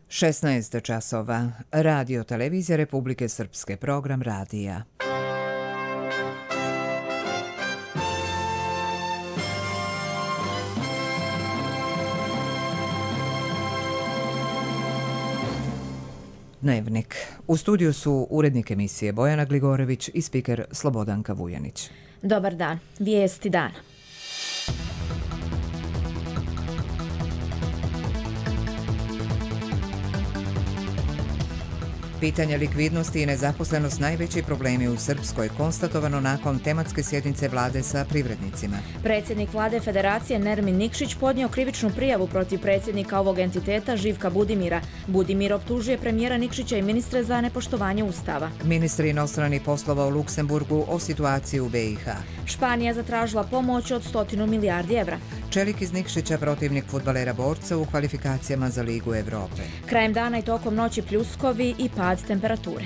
16 časova. Radio Televizija Republike Srpske, program radija. Dnevnik. U studiju su urednik emisije Bojana Gligorević i spiker Slobodanka Vujanić. Dobar dan. Vijesti dana. Pitanje likvidnosti i nezaposlenost najveći problemi u Srpskoj, konstatovano nakon tematske sjednice vlade sa privrednicima. Predsjednik vlade Federacije Nermin Nikšić podnio krivičnu prijavu protiv predsjednika ovog entiteta Živka Budimira. Budimir optužuje premijera Nikšića i ministre za nepoštovanje Ustava. Ministri inostranih poslova u Luksemburgu o situaciji u BiH. Španija zatražila pomoć od 100 milijardi evra. Čelik iz Nikšića protivnik fudbalera Borca u kvalifikacijama za Ligu Evrope. Krajem dana i tokom noći pljuskovi i pad temperature.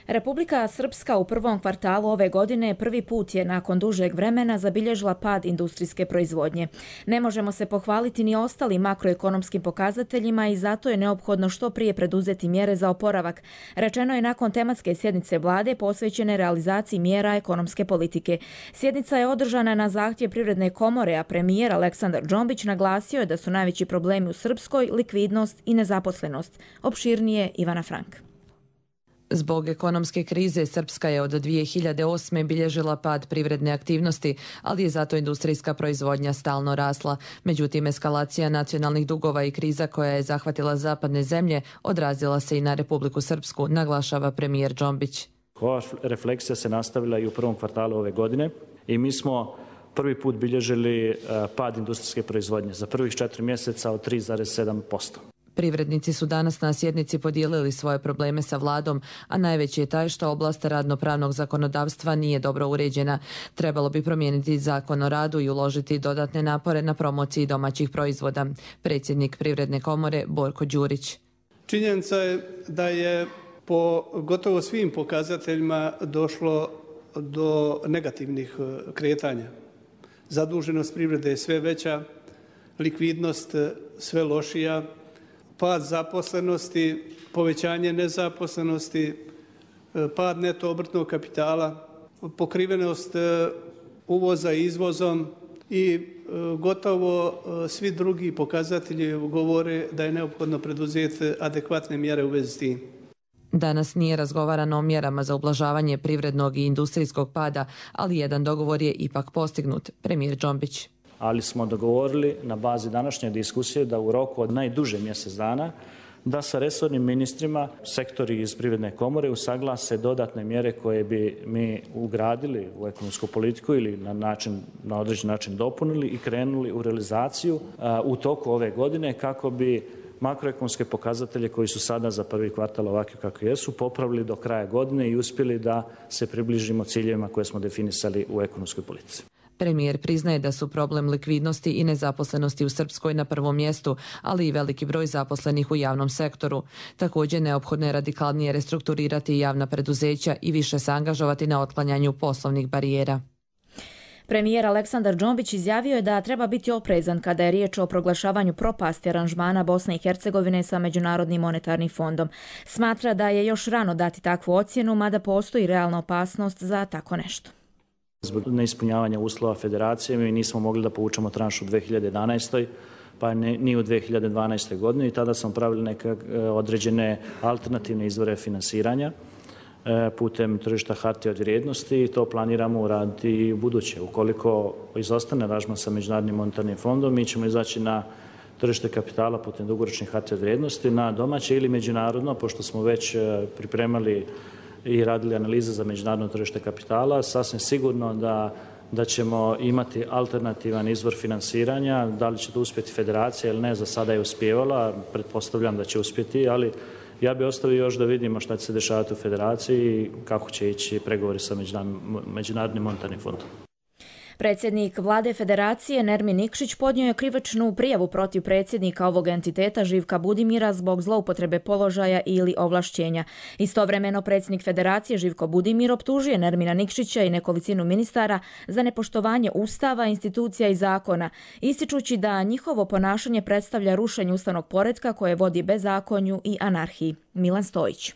Republika Srpska u prvom kvartalu ove godine prvi put je nakon dužeg vremena zabilježila pad industrijske proizvodnje. Ne možemo se pohvaliti ni ostalim makroekonomskim pokazateljima i zato je neophodno što prije preduzeti mjere za oporavak. Rečeno je nakon tematske sjednice vlade posvećene realizaciji mjera ekonomske politike. Sjednica je održana na zahtjev Privredne komore, a premijer Aleksandar Džombić naglasio je da su najveći problemi u Srpskoj likvidnost i nezaposlenost. Opširnije Ivana Frank. Zbog ekonomske krize Srpska je od 2008. bilježila pad privredne aktivnosti, ali je zato industrijska proizvodnja stalno rasla. Međutim, eskalacija nacionalnih dugova i kriza koja je zahvatila zapadne zemlje odrazila se i na Republiku Srpsku, naglašava premijer Džombić. Ova refleksija se nastavila i u prvom kvartalu ove godine i mi smo prvi put bilježili pad industrijske proizvodnje za prvih 4 mjeseca od 3,7%. Privrednici su danas na sjednici podijelili svoje probleme sa vladom, a najveći je taj što oblast radno-pravnog zakonodavstva nije dobro uređena. Trebalo bi promijeniti zakon o radu i uložiti dodatne napore na promociji domaćih proizvoda. Predsjednik Privredne komore Borko Đurić. Činjenica je da je po gotovo svim pokazateljima došlo do negativnih kretanja. Zaduženost privrede je sve veća, likvidnost sve lošija, pad zaposlenosti, povećanje nezaposlenosti, pad neto obrtnog kapitala, pokrivenost uvoza izvozom i gotovo svi drugi pokazatelji govore da je neophodno preduzeti adekvatne mjere u vezi s tim. Danas nije razgovarano o mjerama za ublažavanje privrednog i industrijskog pada, ali jedan dogovor je ipak postignut, premijer Džombić. Ali smo dogovorili na bazi današnje diskusije da u roku od najduže mjesec dana da sa resornim ministrima sektori iz Privredne komore usaglase dodatne mjere koje bi mi ugradili u ekonomsku politiku ili na određen način dopunili i krenuli u realizaciju u toku ove godine kako bi makroekonomske pokazatelje koji su sada za prvi kvartal ovakvi kakvi jesu popravili do kraja godine i uspjeli da se približimo ciljevima koje smo definisali u ekonomskoj politici. Premijer priznaje da su problem likvidnosti i nezaposlenosti u Srpskoj na prvom mjestu, ali i veliki broj zaposlenih u javnom sektoru. Također neophodno je radikalnije restrukturirati javna preduzeća i više se angažovati na otklanjanju poslovnih barijera. Premijer Aleksandar Džombić izjavio je da treba biti oprezan kada je riječ o proglašavanju propasti aranžmana Bosne i Hercegovine sa Međunarodnim monetarnim fondom. Smatra da je još rano dati takvu ocjenu, mada postoji realna opasnost za tako nešto. Zbog neispunjavanja uslova federacije mi nismo mogli da povučemo tranšu u 2011. pa ni u 2012. godini i tada smo pravili neke određene alternativne izvore finansiranja putem tržišta hartija od vrijednosti i to planiramo uraditi i u buduće. Ukoliko izostane aranžman sa Međunarodnim monetarnim fondom, mi ćemo izaći na tržište kapitala putem dugoročnih hartija od vrijednosti na domaće ili međunarodno, pošto smo već pripremali i radili analize za međunarodno tržište kapitala. Sasvim sigurno da ćemo imati alternativan izvor finansiranja. Da li će to uspjeti federacija ili ne, za sada je uspijevala. Pretpostavljam da će uspjeti, ali ja bih ostavio još da vidimo šta će se dešavati u federaciji i kako će ići pregovori sa Međunarodnim monetarnim fondom. Predsjednik Vlade Federacije Nermin Nikšić podnio je krivičnu prijavu protiv predsjednika ovog entiteta Živka Budimira zbog zloupotrebe položaja ili ovlašćenja. Istovremeno predsjednik Federacije Živko Budimir optužuje Nermina Nikšića i nekolicinu ministara za nepoštovanje Ustava, institucija i zakona, ističući da njihovo ponašanje predstavlja rušenje ustavnog poretka koje vodi bezakonju i anarhiji. Milan Stojić.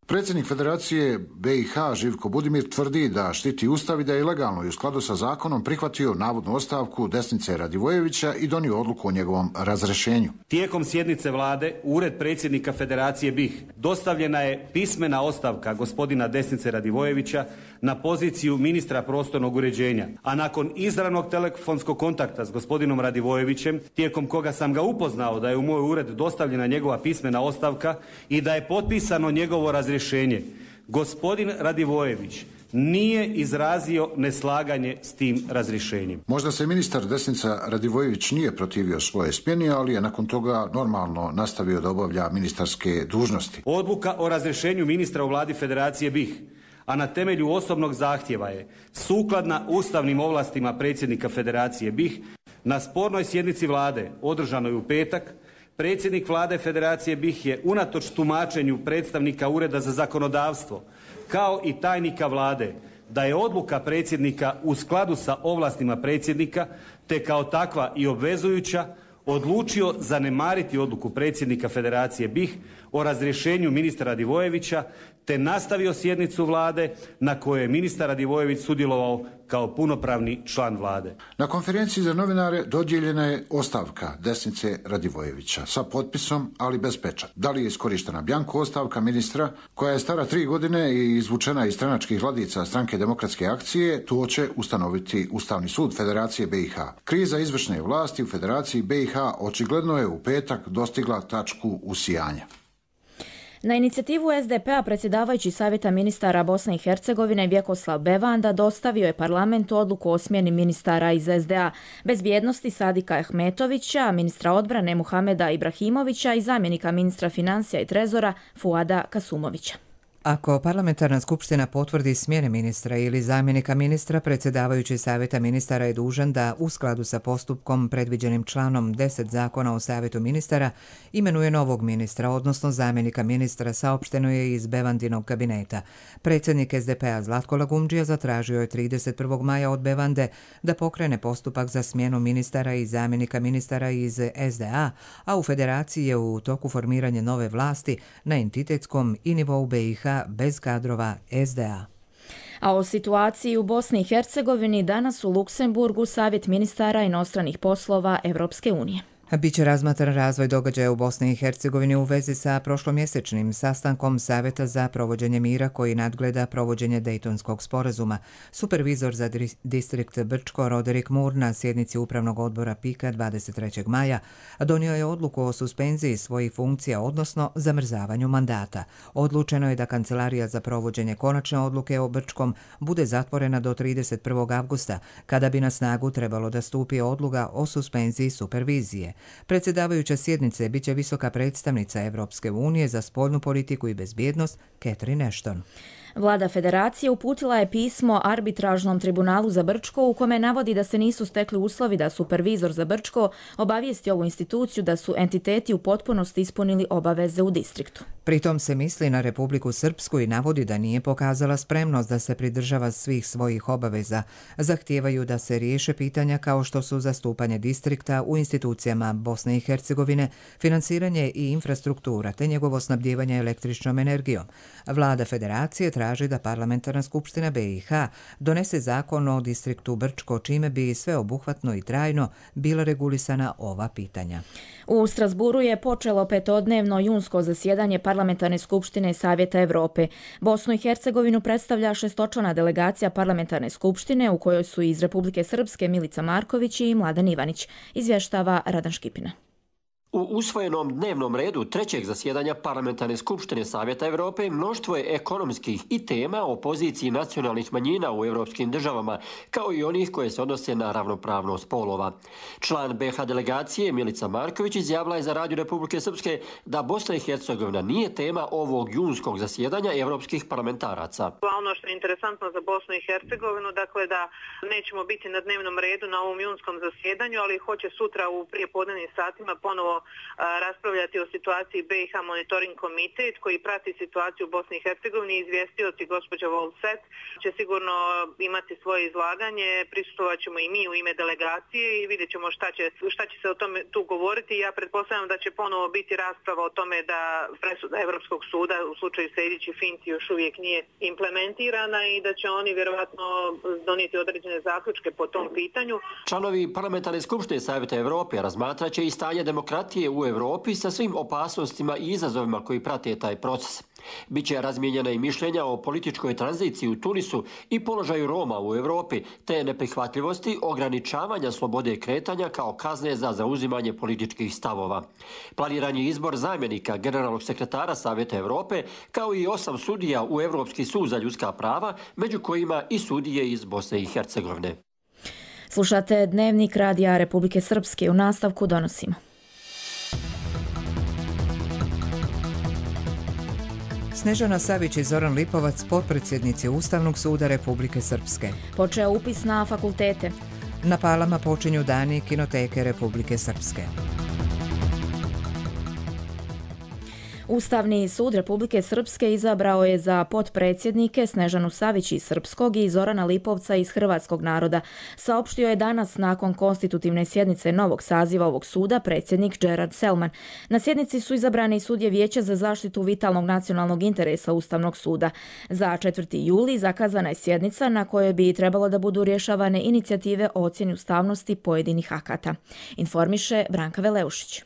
Predsjednik Federacije BiH Živko Budimir tvrdi da štiti Ustav i da je legalno i u skladu sa zakonom prihvatio navodnu ostavku Desnice Radivojevića i donio odluku o njegovom razrješenju. Tijekom sjednice vlade u ured predsjednika Federacije BiH dostavljena je pismena ostavka gospodina Desnice Radivojevića na poziciju ministra prostornog uređenja, a nakon izravnog telefonskog kontakta s gospodinom Radivojevićem, tijekom koga sam ga upoznao da je u moj ured dostavljena njegova pismena ostavka i da je potpisano njegovo razrješenje, gospodin Radivojević nije izrazio neslaganje s tim razrješenjem. Možda se ministar Desnica Radivojević nije protivio svoje smjeni, ali je nakon toga normalno nastavio da obavlja ministarske dužnosti. Odluka o razrješenju ministra u vladi Federacije BiH, a na temelju osobnog zahtjeva je sukladna ustavnim ovlastima predsjednika Federacije BiH. Na spornoj sjednici vlade održanoj u petak, predsjednik vlade Federacije BiH je unatoč tumačenju predstavnika Ureda za zakonodavstvo kao i tajnika vlade da je odluka predsjednika u skladu sa ovlastima predsjednika te kao takva i obvezujuća odlučio zanemariti odluku predsjednika Federacije BiH o razrješenju ministra Radivojevića te nastavio sjednicu vlade na kojoj je ministar Radivojević sudjelovao kao punopravni član vlade. Na konferenciji za novinare dodijeljena je ostavka Desnice Radivojevića sa potpisom, ali bez pečata. Da li je iskorištena bjanko ostavka ministra koja je stara 3 godine i izvučena iz stranačkih ladica Stranke demokratske akcije, to će ustanoviti Ustavni sud Federacije BiH. Kriza izvršne vlasti u Federaciji BiH očigledno je u petak dostigla tačku usijanja. Na inicijativu SDP-a predsjedavajući Savjeta ministara Bosne i Hercegovine Vjekoslav Bevanda dostavio je parlamentu odluku o smjeni ministara iz SDA, bezbjednosti Sadika Ahmetovića, ministra odbrane Muhameda Ibrahimovića i zamjenika ministra financija i trezora Fuada Kasumovića. Ako parlamentarna skupština potvrdi smjene ministra ili zamjenika ministra, predsjedavajući Savjeta ministara je dužan da, u skladu sa postupkom predviđenim članom 10 Zakona o Savjetu ministara, imenuje novog ministra, odnosno zamjenika ministra, saopšteno je iz Bevandinog kabineta. Predsjednik SDP-a Zlatko Lagumdžija zatražio je 31. maja od Bevande da pokrene postupak za smjenu ministara i zamjenika ministara iz SDA, a u Federaciji je u toku formiranje nove vlasti na entitetskom i nivou BiH bez kadrova SDA. A o situaciji u Bosni i Hercegovini danas u Luksemburgu Savjet ministara inostranih poslova Evropske unije. Biće razmatran razvoj događaja u Bosni i Hercegovini u vezi sa prošlomjesečnim sastankom Savjeta za provođenje mira koji nadgleda provođenje Dejtonskog sporazuma. Supervizor za distrikt Brčko Roderick Moore na sjednici Upravnog odbora PIK-a 23. maja donio je odluku o suspenziji svojih funkcija, odnosno zamrzavanju mandata. Odlučeno je da Kancelarija za provođenje konačne odluke o Brčkom bude zatvorena do 31. avgusta, kada bi na snagu trebalo da stupi odluka o suspenziji supervizije. Predsjedavajuća sjednice biće visoka predstavnica Evropske unije za spoljnu politiku i bezbjednost Catherine Ashton. Vlada Federacije uputila je pismo arbitražnom tribunalu za Brčko u kome navodi da se nisu stekli uslovi da supervizor za Brčko obavijesti ovu instituciju da su entiteti u potpunosti ispunili obaveze u distriktu. Pritom se misli na Republiku Srpsku i navodi da nije pokazala spremnost da se pridržava svih svojih obaveza. Zahtijevaju da se riješe pitanja kao što su zastupanje distrikta u institucijama Bosne i Hercegovine, finansiranje i infrastruktura te njegovo snabdijevanje električnom energijom. Vlada Federacije traži da parlamentarna skupština BiH donese zakon o distriktu Brčko, čime bi sveobuhvatno i trajno bila regulisana ova pitanja. U Strasburu je počelo petodnevno junsko zasjedanje parlamentarne skupštine Savjeta Evrope. Bosnu i Hercegovinu predstavlja 6-člana delegacija parlamentarne skupštine u kojoj su iz Republike Srpske Milica Marković i Mladen Ivanić, izvještava Radan Škipina. U usvojenom dnevnom redu trećeg zasjedanja Parlamentarne skupštine Savjeta Europe mnoštvo je ekonomskih i tema o poziciji nacionalnih manjina u europskim državama, kao i onih koje se odnose na ravnopravnost spolova. Član BiH delegacije Milica Marković izjavila je za Radio Republike Srpske da Bosna i Hercegovina nije tema ovog junskog zasjedanja europskih parlamentaraca. Ono što je interesantno za Bosnu i Hercegovinu, dakle da nećemo biti na dnevnom redu na ovom junskom zasjedanju, ali hoće sutra u prijepodnevnim satima ponovo raspravljati o situaciji BiH Monitoring Komitet koji prati situaciju u Bosni i Hercegovini. Izvjestioci gospođa Volset će sigurno imati svoje izlaganje, prisustvovat ćemo i mi u ime delegacije i vidjet ćemo šta će se o tome tu govoriti. Ja pretpostavljam da će ponovo biti rasprava o tome da presuda Europskog suda u slučaju Sejdić i Finci još uvijek nije implementirana i da će oni vjerovatno donijeti određene zaključke po tom pitanju. Članovi Parlamentarne skupštine Savjeta Europe razmatraće i stanje demokratije u Europi sa svim opasnostima i izazovima koji prate taj proces. Biće razmijenjena i mišljenja o političkoj tranziciji u Tunisu i položaju Roma u Europi, te neprihvatljivosti ograničavanja slobode kretanja kao kazne za zauzimanje političkih stavova. Planiran je izbor zamjenika generalnog sekretara Savjeta Europe, kao i 8 sudija u Europski sud za ljudska prava, među kojima i sudije iz Bosne i Hercegovine. Slušate Dnevnik Radija Republike Srpske. U nastavku donosimo. Snežana Savić i Zoran Lipovac, potpredsjednici Ustavnog suda Republike Srpske. Počeo upis na fakultete. Na Palama počinju dani Kinoteke Republike Srpske. Ustavni sud Republike Srpske izabrao je za potpredsjednike Snežanu Savić iz Srpskog i Zorana Lipovca iz Hrvatskog naroda. Saopštio je danas nakon konstitutivne sjednice novog saziva ovog suda predsjednik Gerard Selman. Na sjednici su izabrani sudije Vijeća za zaštitu vitalnog nacionalnog interesa Ustavnog suda. Za 4. juli zakazana je sjednica na kojoj bi trebalo da budu rješavane inicijative o ocjeni ustavnosti pojedinih akata. Informiše Branka Veleušić.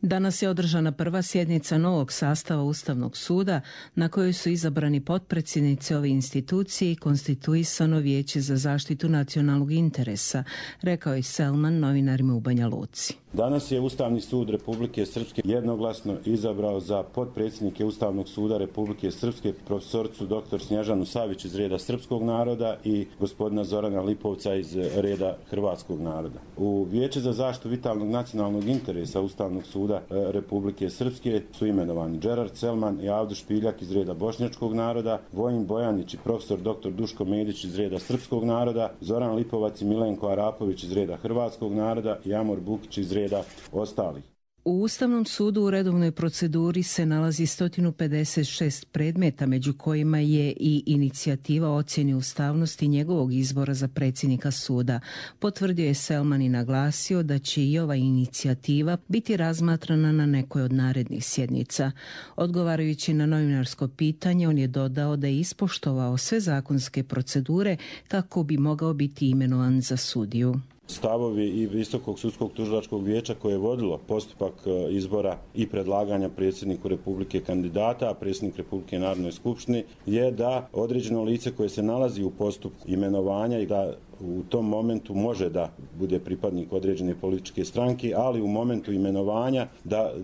Danas je održana prva sjednica novog sastava Ustavnog suda na kojoj su izabrani potpredsjednici ove institucije i konstituisano Vijeće za zaštitu nacionalnog interesa, rekao je Selman novinarima u Banja Luci. Danas je Ustavni sud Republike Srpske jednoglasno izabrao za potpredsjednike Ustavnog suda Republike Srpske profesoricu dr. Snježanu Savić iz reda Srpskog naroda i gospodina Zorana Lipovca iz reda Hrvatskog naroda. U Vijeće za zaštitu vitalnog nacionalnog interesa Ustavnog suda Republike Srpske su imenovani Gerard Selman i Avdo Špiljak iz reda Bošnjačkog naroda, Vojin Bojanić i profesor dr. Duško Medić iz reda Srpskog naroda, Zoran Lipovac i Milenko Arapović iz reda Hrvatskog naroda i Amor Bukić iz reda ostalih. U Ustavnom sudu u redovnoj proceduri se nalazi 156 predmeta, među kojima je i inicijativa o ocjeni ustavnosti njegovog izbora za predsjednika suda. Potvrdio je Selman i naglasio da će i ova inicijativa biti razmatrana na nekoj od narednih sjednica. Odgovarajući na novinarsko pitanje, on je dodao da je ispoštovao sve zakonske procedure kako bi mogao biti imenovan za sudiju. Stavovi i Visokog sudskog tužilačkog vijeća koje je vodilo postupak izbora i predlaganja predsjedniku Republike kandidata, a predsjednik Republike Narodnoj skupštini, je da određeno lice koje se nalazi u postupku imenovanja i da u tom momentu može da bude pripadnik određene političke stranke, ali u momentu imenovanja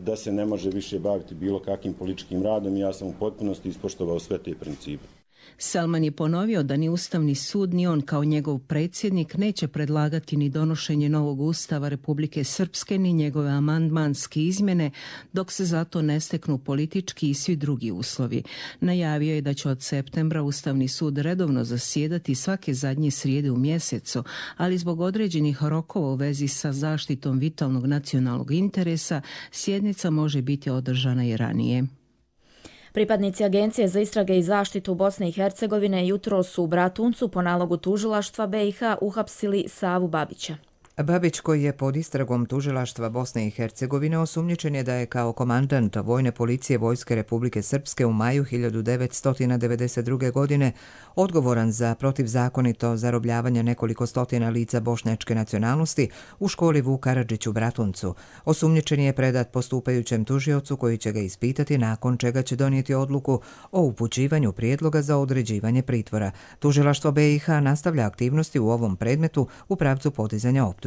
da se ne može više baviti bilo kakvim političkim radom i ja sam u potpunosti ispoštovao sve te principe. Selman je ponovio da ni Ustavni sud ni on kao njegov predsjednik neće predlagati ni donošenje novog Ustava Republike Srpske ni njegove amandmanske izmjene dok se zato ne steknu politički i svi drugi uslovi. Najavio je da će od septembra Ustavni sud redovno zasjedati svake zadnje srijede u mjesecu, ali zbog određenih rokova u vezi sa zaštitom vitalnog nacionalnog interesa sjednica može biti održana i ranije. Pripadnici Agencije za istrage i zaštitu Bosne i Hercegovine jutros su u Bratuncu po nalogu tužilaštva BiH uhapsili Savu Babića. Babić, koji je pod istragom tužilaštva Bosne i Hercegovine, osumnjičen je da je kao komandant Vojne policije Vojske Republike Srpske u maju 1992. godine odgovoran za protivzakonito zarobljavanje nekoliko stotina lica bošnjačke nacionalnosti u školi Vuk Karadžić u Bratuncu. Osumnjičen je predat postupajućem tužiocu koji će ga ispitati, nakon čega će donijeti odluku o upućivanju prijedloga za određivanje pritvora. Tužilaštvo BiH nastavlja aktivnosti u ovom predmetu u pravcu podizanja optužnice.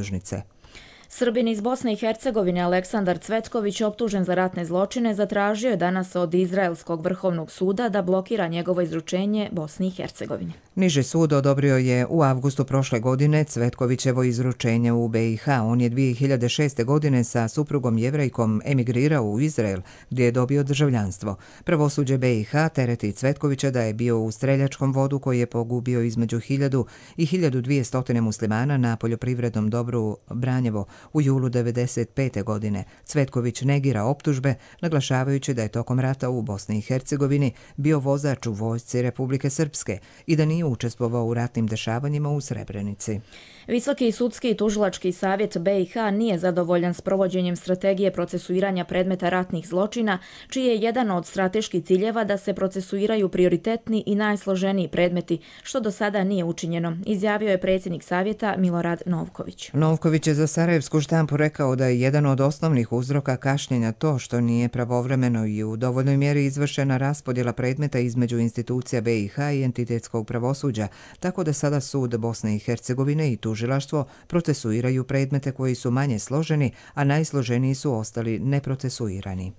Srbin iz Bosne i Hercegovine Aleksandar Cvetković, optužen za ratne zločine, zatražio je danas od Izraelskog vrhovnog suda da blokira njegovo izručenje Bosni i Hercegovini. Niži sud odobrio je u avgustu prošle godine Cvetkovićevo izručenje u BiH. On je 2006. godine sa suprugom Jevrejkom emigrirao u Izrael, gdje je dobio državljanstvo. Pravosuđe BiH tereti Cvetkovića da je bio u streljačkom vodu koji je pogubio između 1000 i 1200 muslimana na poljoprivrednom dobru Branjevo u julu 1995. godine. Cvetković negira optužbe, naglašavajući da je tokom rata u Bosni i Hercegovini bio vozač u vojsci Republike Srpske i da nije učestvovao u ratnim dešavanjima u Srebrenici. Visoki sudski i tužilački savjet BiH nije zadovoljan s provođenjem strategije procesuiranja predmeta ratnih zločina, čiji je jedan od strateških ciljeva da se procesuiraju prioritetni i najsloženiji predmeti, što do sada nije učinjeno, izjavio je predsjednik savjeta Milorad Novković. Novković je za Sarajevsku štampu rekao da je jedan od osnovnih uzroka kašnjenja to što nije pravovremeno i u dovoljnoj mjeri izvršena raspodjela predmeta između institucija BiH i entitetskog pravosuđa, tako da sada sud Bosne i Hercegovine i tužilaštvo procesuiraju predmete koji su manje složeni, a najsloženiji su ostali neprocesuirani.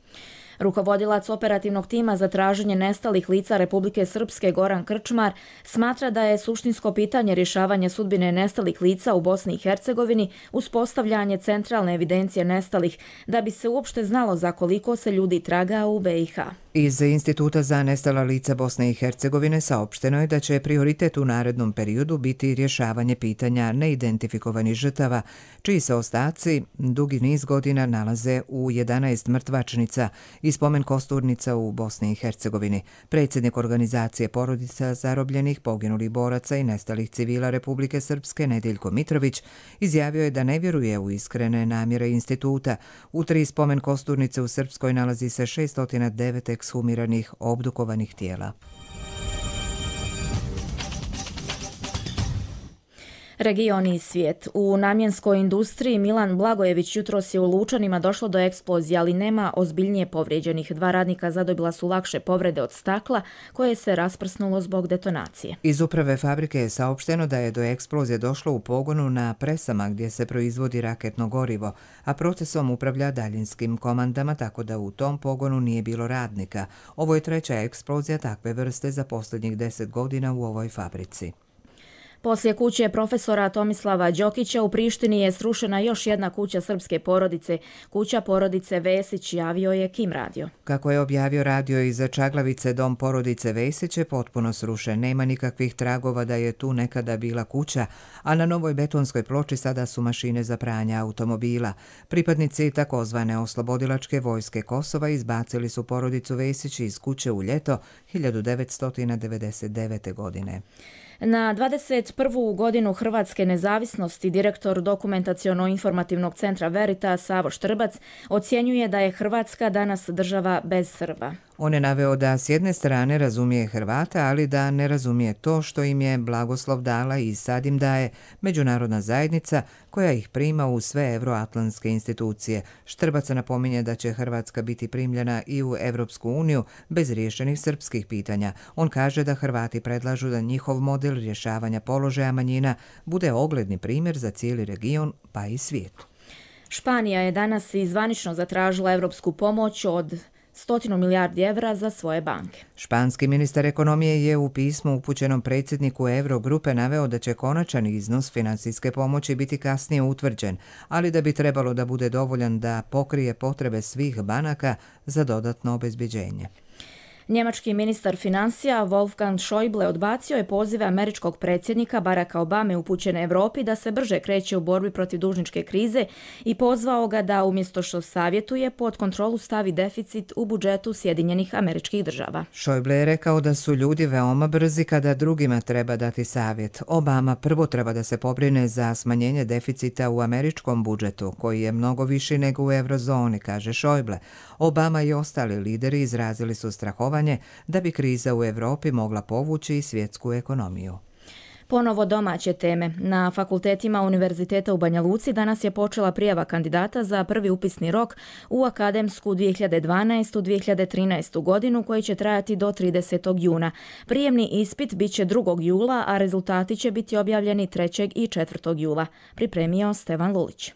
Rukovodilac operativnog tima za traženje nestalih lica Republike Srpske Goran Krčmar smatra da je suštinsko pitanje rješavanja sudbine nestalih lica u Bosni i Hercegovini uspostavljanje centralne evidencije nestalih, da bi se uopšte znalo za koliko se ljudi traga u BiH. Iz Instituta za nestala lica Bosne i Hercegovine saopšteno je da će prioritet u narednom periodu biti rješavanje pitanja neidentifikovanih žrtava, čiji se ostaci dugi niz godina nalaze u 11 mrtvačnica i spomen kosturnica u Bosni i Hercegovini. Predsjednik organizacije porodica zarobljenih, poginulih boraca i nestalih civila Republike Srpske Nedeljko Mitrović izjavio je da ne vjeruje u iskrene namjere instituta. U 3 spomen kosturnice u Srpskoj nalazi se 609 ekshumiranih obdukovanih tijela. Region i svijet. U namjenskoj industriji Milan Blagojević jutros je u Lučanima došlo do eksplozije, ali nema ozbiljnije povrijeđenih. 2 radnika zadobila su lakše povrede od stakla koje se rasprsnulo zbog detonacije. Iz uprave fabrike je saopšteno da je do eksplozije došlo u pogonu na presama gdje se proizvodi raketno gorivo, a procesom upravlja daljinskim komandama, tako da u tom pogonu nije bilo radnika. Ovo je 3. eksplozija takve vrste za posljednjih 10 godina u ovoj fabrici. Poslije kuće profesora Tomislava Đokića u Prištini je srušena još jedna kuća srpske porodice, kuća porodice Vesić, javio je Kim radio. Kako je objavio radio iz Čaglavice, dom porodice Vesić je potpuno srušen. Nema nikakvih tragova da je tu nekada bila kuća, a na novoj betonskoj ploči sada su mašine za pranje automobila. Pripadnici takozvane oslobodilačke vojske Kosova izbacili su porodicu Vesić iz kuće u ljeto 1999. godine. Na 21. godinu Hrvatske nezavisnosti direktor Dokumentaciono-informativnog centra Veritas Savo Štrbac ocjenjuje da je Hrvatska danas država bez Srba. On je naveo da s jedne strane razumije Hrvata, ali da ne razumije to što im je blagoslov dala i sad im daje međunarodna zajednica koja ih prima u sve evroatlantske institucije. Štrbac napominje da će Hrvatska biti primljena i u Evropsku uniju bez riješenih srpskih pitanja. On kaže da Hrvati predlažu da njihov model rješavanja položaja manjina bude ogledni primjer za cijeli region pa i svijet. Španija je danas i zvanično zatražila evropsku pomoć od 100 milijardi evra za svoje banke. Španski ministar ekonomije je u pismu upućenom predsjedniku Eurogrupe naveo da će konačan iznos financijske pomoći biti kasnije utvrđen, ali da bi trebalo da bude dovoljan da pokrije potrebe svih banaka za dodatno obezbeđenje. Njemački ministar financija Wolfgang Schäuble odbacio je pozive američkog predsjednika Baracka Obame upućene Europi da se brže kreće u borbi protiv dužničke krize i pozvao ga da umjesto što savjetuje pod kontrolu stavi deficit u budžetu Sjedinjenih Američkih Država. Schäuble je rekao da su ljudi veoma brzi kada drugima treba dati savjet. Obama prvo treba da se pobrine za smanjenje deficita u američkom budžetu, koji je mnogo viši nego u eurozoni, kaže Schäuble. Obama i ostali lideri izrazili su strahovanje da bi kriza u Europi mogla povući i svjetsku ekonomiju. Ponovo domaće teme. Na fakultetima Univerziteta u Banja Luci danas je počela prijava kandidata za prvi upisni rok u akademsku 2012-2013 godinu koji će trajati do 30. juna. Prijemni ispit bit će 2. jula, a rezultati će biti objavljeni 3. i 4. jula. Pripremio Stevan Lulić.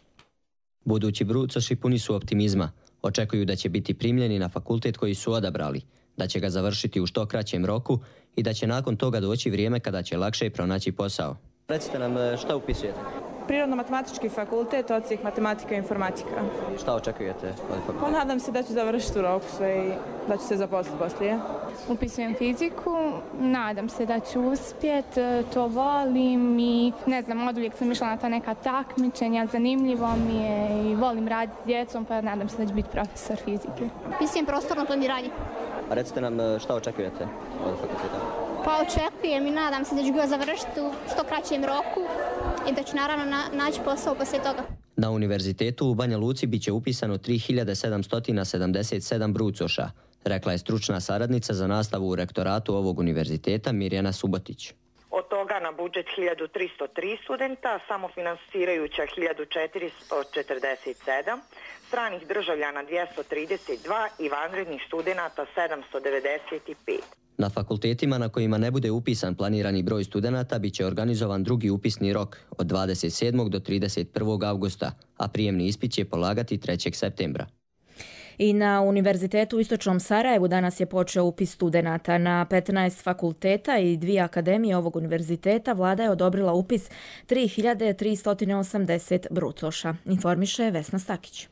Budući brucoši puni su optimizma. Očekuju da će biti primljeni na fakultet koji su odabrali, da će ga završiti u što kraćem roku i da će nakon toga doći vrijeme kada će lakše pronaći posao. Recite nam šta upisujete? Prirodno-matematički fakultet, odsjek matematika i informatika. Šta očekujete od fakulteta? Pa nadam se da ću završiti u roku sve i da ću se zaposliti poslije. Upisujem fiziku, nadam se da ću uspjeti, to volim i ne znam, oduvijek sam išla na ta neka takmičenja, zanimljivo mi je i volim raditi s djecom, pa nadam se da ću biti profesor fizike. Upisujem prostorno planiranje. A recite nam šta očekujete od fakulteta? Pa očekujem i nadam se da ću ga završiti u što kraćem roku i da ću naravno naći posao poslije toga. Na univerzitetu u Banja Luci bit će upisano 3777 brucoša, rekla je stručna saradnica za nastavu u rektoratu ovog univerziteta Mirjana Subotić. Od toga na budžet 1303 studenta, samofinansirajuća 1447, stranih državljana 232 i vanrednih studenata 795. Na fakultetima na kojima ne bude upisan planirani broj studenata bit će organizovan drugi upisni rok od 27. do 31. avgusta, a prijemni ispit će polagati 3. septembra. I na Univerzitetu u Istočnom Sarajevu danas je počeo upis studenata. Na 15 fakulteta i 2 akademije ovog univerziteta vlada je odobrila upis 3380 brucoša, informiše Vesna Stakić.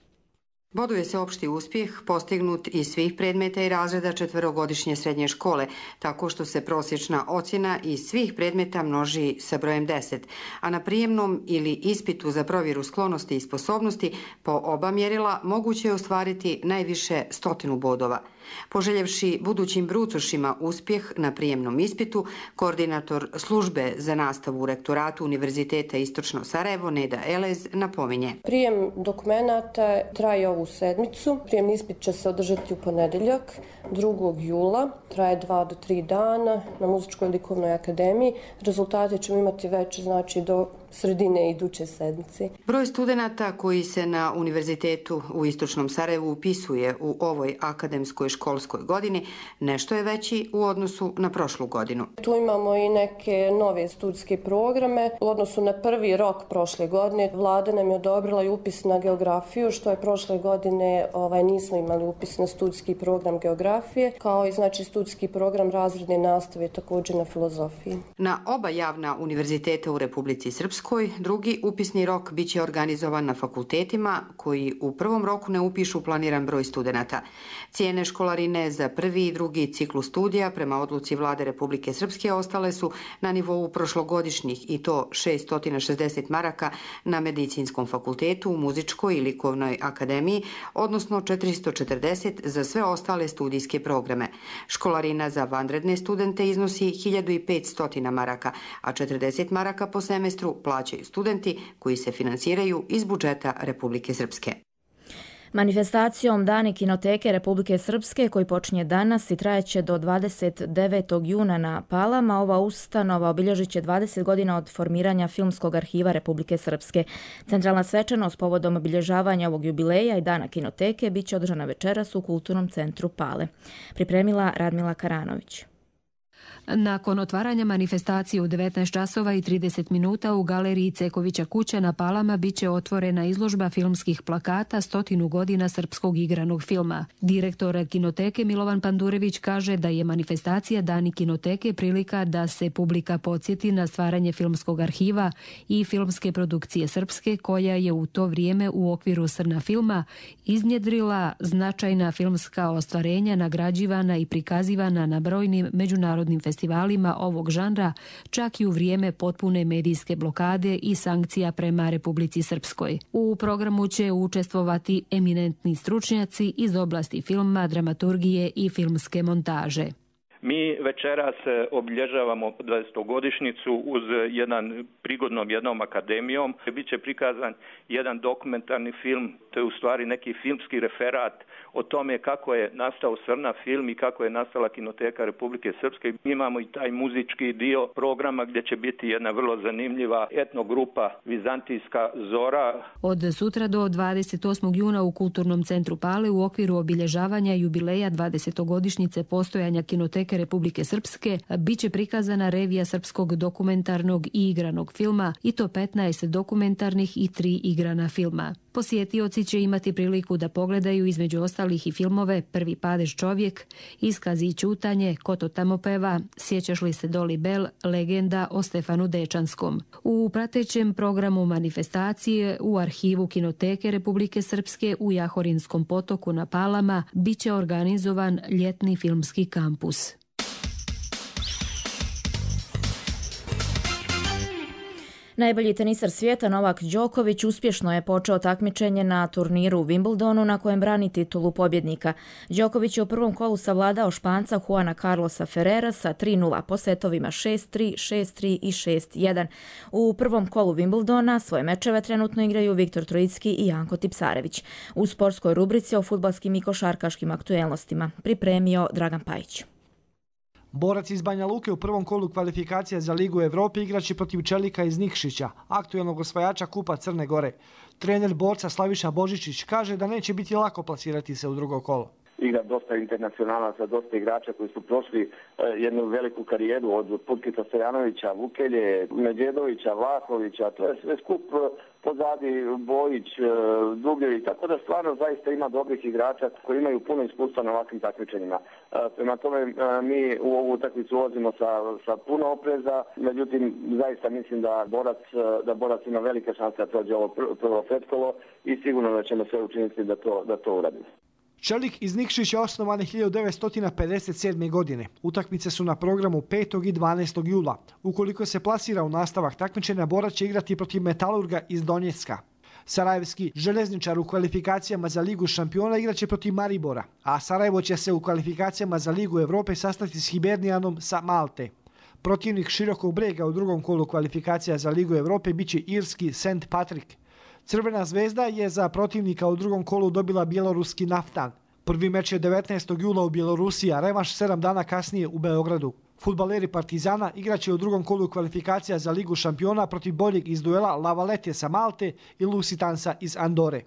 Boduje se opšti uspjeh postignut iz svih predmeta i razreda četverogodišnje srednje škole, tako što se prosječna ocjena iz svih predmeta množi sa brojem 10, a na prijemnom ili ispitu za provjeru sklonosti i sposobnosti po oba mjerila moguće je ostvariti najviše 100 bodova. Poželjevši budućim brucošima uspjeh na prijemnom ispitu, koordinator službe za nastavu u rektoratu Univerziteta Istočno Sarajevo Neda Elez napominje. Prijem dokumenata traje ovu sedmicu. Prijemni ispit će se održati u ponedjeljak 2. jula. Traje 2 do 3 dana na Muzičkoj likovnoj akademiji. Rezultate ćemo imati već do sredine iduće sedmice. Broj studenata koji se na Univerzitetu u Istočnom Sarajevu upisuje u ovoj akademskoj školskoj godini nešto je veći u odnosu na prošlu godinu. Tu imamo i neke nove studijske programe. U odnosu na prvi rok prošle godine vlada nam je odobrila i upis na geografiju, što je prošle godine nismo imali upis na studijski program geografije, kao i studijski program razredne nastave također na filozofiji. Na oba javna univerziteta u Republici Srpskoj drugi upisni rok bit će organizovan na fakultetima koji u prvom roku ne upišu planiran broj studenata. Cijene školarine za prvi i drugi ciklus studija prema odluci Vlade Republike Srpske ostale su na nivou prošlogodišnjih i to 660 maraka na Medicinskom fakultetu, Muzičkoj i Likovnoj akademiji, odnosno 440 za sve ostale studijske programe. Školarina za vanredne studente iznosi 1500 maraka, a 40 maraka po semestru plaćaju studenti koji se finansiraju iz budžeta Republike Srpske. Manifestacijom Dani kinoteke Republike Srpske, koji počinje danas i trajeće do 29. juna na Palama, ova ustanova obilježit će 20 godina od formiranja Filmskog arhiva Republike Srpske. Centralna svečanost povodom obilježavanja ovog jubileja i Dana kinoteke bit će održana večeras u Kulturnom centru Pale. Pripremila Radmila Karanović. Nakon otvaranja manifestacije u 19 časova i 30 minuta u galeriji Cekovića kuća na Palama biće otvorena izložba filmskih plakata 100 godina srpskog igranog filma. Direktor kinoteke Milovan Pandurević kaže da je manifestacija Dani kinoteke prilika da se publika podsjeti na stvaranje filmskog arhiva i filmske produkcije srpske, koja je u to vrijeme u okviru Srna filma iznjedrila značajna filmska ostvarenja, nagrađivana i prikazivana na brojnim međunarodnim festivalima ovog žanra, čak i u vrijeme potpune medijske blokade i sankcija prema Republici Srpskoj. U programu će učestvovati eminentni stručnjaci iz oblasti filma, dramaturgije i filmske montaže. Mi večeras obilježavamo 20-godišnjicu uz prigodnom jednom akademijom. Biće prikazan jedan dokumentarni film, to je u stvari neki filmski referat o tome kako je nastao Srna film i kako je nastala Kinoteka Republike Srpske. Mi imamo i taj muzički dio programa gdje će biti jedna vrlo zanimljiva etnogrupa Vizantijska Zora. Od sutra do 28. juna u Kulturnom centru Pale u okviru obilježavanja jubileja 20-godišnjice postojanja Kinoteke kinoteke Republike Srpske biće prikazana revija srpskog dokumentarnog i igranog filma, i to 15 dokumentarnih i 3 igrana filma. Posjetioci će imati priliku da pogledaju između ostalih i filmove Prvi padež čovjek, Iskazi i ćutanje, Ko to tamo peva, Sjećaš li se Doli Bell, Legenda o Stefanu Dečanskom. U pratećem programu manifestacije u arhivu Kinoteke Republike Srpske u Jahorinskom potoku na Palama biće organizovan ljetni filmski kampus. Najbolji tenisar svijeta Novak Đoković uspješno je počeo takmičenje na turniru u Wimbledonu na kojem brani titulu pobjednika. Đoković je u prvom kolu savladao Španca Juana Carlosa Ferrera sa 3:0 po setovima 6-3, 6-3 i 6-1. U prvom kolu Wimbledona svoje mečeve trenutno igraju Viktor Trojicki i Janko Tipsarević. U sportskoj rubrici o fudbalskim i košarkaškim aktuelnostima pripremio Dragan Pajić. Borac iz Banja Luke u prvom kolu kvalifikacija za Ligu Evrope igraće protiv Čelika iz Nikšića, aktuelnog osvajača Kupa Crne Gore. Trener borca Slaviša Božičić kaže da neće biti lako plasirati se u drugo kolo. Igra dosta internacionalaca, dosta igrača koji su prošli jednu veliku karijeru od Putkica Stojanovića, Vukelje, Medjedovića, Vlahovića, to je sve skup pozadi Bojić, Dubljević, tako da stvarno zaista ima dobrih igrača koji imaju puno iskustva na ovakvim takmičenjima. Prema tome mi u ovu utakmicu ulazimo sa puno opreza, međutim zaista mislim da borac ima velike šanse da prođe ovo prvo pretkolo i sigurno da ćemo sve učiniti da to uradimo. Čelik iz Nikšića osnovan je 1957. godine. Utakmice su na programu 5. i 12. jula. Ukoliko se plasira u nastavak takmičenja, borac će igrati protiv Metalurga iz Donjecka. Sarajevski željezničar u kvalifikacijama za Ligu šampiona igraće protiv Maribora, a Sarajevo će se u kvalifikacijama za Ligu Evrope sastati s Hibernijanom sa Malte. Protivnik Širokog Brega u drugom kolu kvalifikacija za Ligu Evrope biće irski St. Patrick. Crvena zvezda je za protivnika u drugom kolu dobila bjeloruski Naftan. Prvi meč je 19. jula u Bjelorusiji, a revanš 7 dana kasnije u Beogradu. Fudbaleri Partizana igraće u drugom kolu kvalifikacija za Ligu šampiona protiv boljeg iz duela La Valette sa Malte i Lusitansa iz Andore.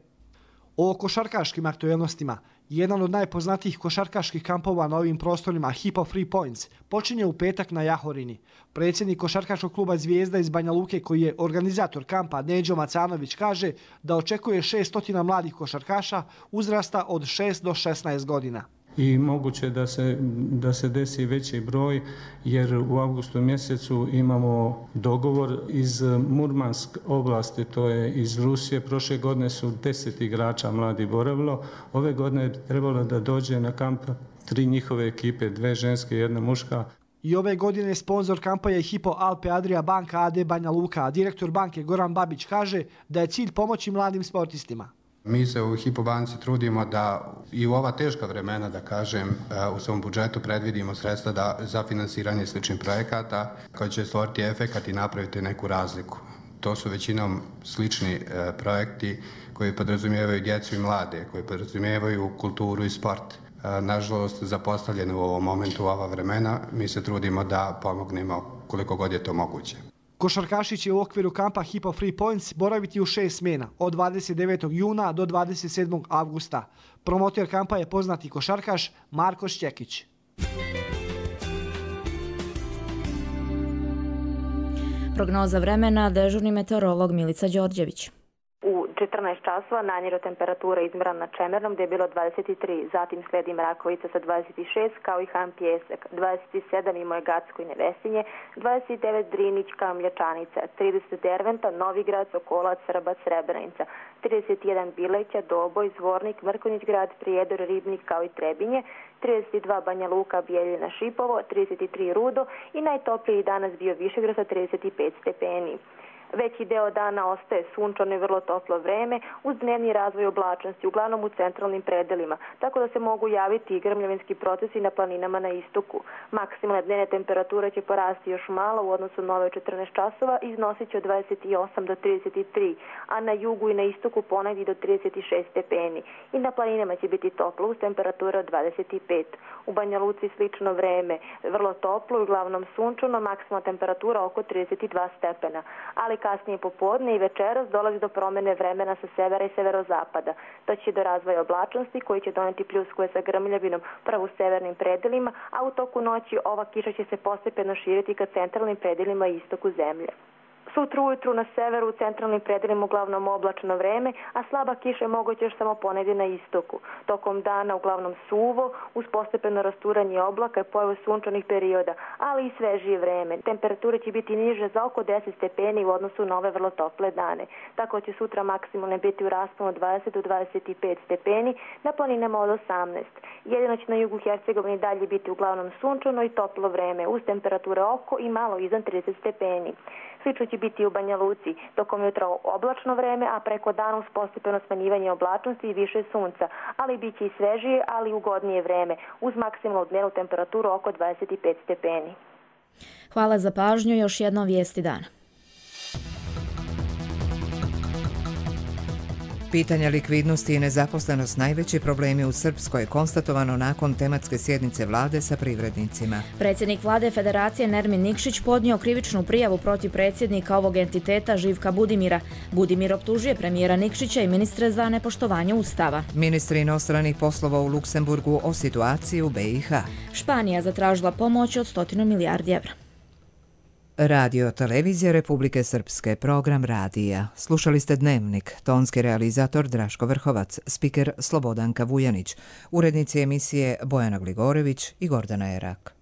O košarkaškim aktuelnostima. Jedan od najpoznatijih košarkaških kampova na ovim prostorima, Hypo Free Points, počinje u petak na Jahorini. Predsjednik košarkaškog kluba Zvijezda iz Banja Luke, koji je organizator kampa, Neđo Macanović, kaže da očekuje 600 mladih košarkaša uzrasta od 6 do 16 godina. I moguće da se desi veći broj, jer u avgustu mjesecu imamo dogovor iz Murmansk oblasti, to je iz Rusije. Prošle godine su 10 igrača mladi boravilo. Ove godine je trebalo da dođe na kamp 3 njihove ekipe, 2 ženske i 1 muška. I ove godine sponsor kampa je Hypo Alpe Adria banka AD Banja Luka, a direktor banke Goran Babić kaže da je cilj pomoći mladim sportistima. Mi se u Hypo banci trudimo da i u ova teška vremena, da kažem, u svom budžetu predvidimo sredstva za finansiranje sličnih projekata koji će stvoriti efekat i napraviti neku razliku. To su većinom slični projekti koji podrazumijevaju djecu i mlade, koji podrazumijevaju kulturu i sport. Nažalost, zapostavljeni u ovom momentu, u ova vremena, mi se trudimo da pomognemo koliko god je to moguće. Košarkaši će u okviru kampa Hypo Free Points boraviti u 6 smjena, od 29. juna do 27. avgusta. Promotor kampa je poznati košarkaš Marko Šćekić. Prognoza vremena, dežurni meteorolog Milica Đorđević. U 14 časova najniža temperatura izmjerena na Čemernom gdje je bilo 23, zatim slijedi Mrakovica sa 26 kao i Han Pijesak, 27 i Mojgacko i Nevesinje, 29 Drinić kao Mlječanica, 30 Derventa, Novigrad, Sokolac, Srbac, Srebrenica, 31 Bileća, Doboj, Zvornik, Mrkonjić grad, Prijedor, Ribnik kao i Trebinje, 32 Banja Luka, Bijeljina, Šipovo, 33 Rudo i najtopliji danas bio Višegrad sa 35 stepeni. Veći deo dana ostaje sunčano i vrlo toplo vreme uz dnevni razvoj oblačnosti, uglavnom u centralnim predelima, tako da se mogu javiti i grmljavinski procesi na planinama na istoku. Maksimalne dnevne temperature će porasti još malo u odnosu na ove 14 časova i iznosit će od 28 do 33, a na jugu i na istoku ponegdje do 36 stepeni. I na planinama će biti toplo uz temperature od 25. U Banja Luci slično vreme, vrlo toplo i uglavnom sunčano, maksimalna temperatura oko 32 stepena. Ali kasnije popodne i večeras dolazi do promene vremena sa severa i severozapada. Doći će do razvoja oblačnosti koji će doneti pljuskove sa grmljavinom prvo u severnim predelima, a u toku noći ova kiša će se postepeno širiti ka centralnim predelima i istoku zemlje. Sutra ujutru na severu u centralnim predelima uglavnom oblačno vreme, a slaba kiša je moguća još samo ponegdje na istoku. Tokom dana uglavnom suvo, uz postepeno rasturanje oblaka i pojavu sunčanih perioda, ali i svežije vreme. Temperature će biti niže za oko 10 stepeni u odnosu na ove vrlo tople dane. Tako će sutra maksimalne biti u rasponu od 20 do 25 stepeni, na planinama od 18. Jedino će na jugu Hercegovine dalje biti uglavnom sunčano i toplo vreme, uz temperature oko i malo iznad 30 stepeni. Slično će biti u Banja Luci, tokom jutra oblačno vreme, a preko dana uz postepeno smanjivanje oblačnosti i više sunca, ali bit će i svežije, ali ugodnije vreme, uz maksimalnu dnevnu temperaturu oko 25 stepeni. Hvala za pažnju, još jednom vijesti dana. Pitanja likvidnosti i nezaposlenost najveći problemi u Srpskoj, konstatovano nakon tematske sjednice vlade sa privrednicima. Predsjednik vlade Federacije Nermin Nikšić podnio krivičnu prijavu protiv predsjednika ovog entiteta Živka Budimira. Budimir optužuje premijera Nikšića i ministre za nepoštovanje Ustava. Ministri inostranih poslova u Luksemburgu o situaciji u BiH. Španija zatražila pomoć od 100 milijardi evra. Radio Televizija Republike Srpske, program radija. Slušali ste Dnevnik, tonski realizator Draško Vrhovac, spiker Slobodanka Vujanić, urednici emisije Bojana Gligorević i Gordana Erak.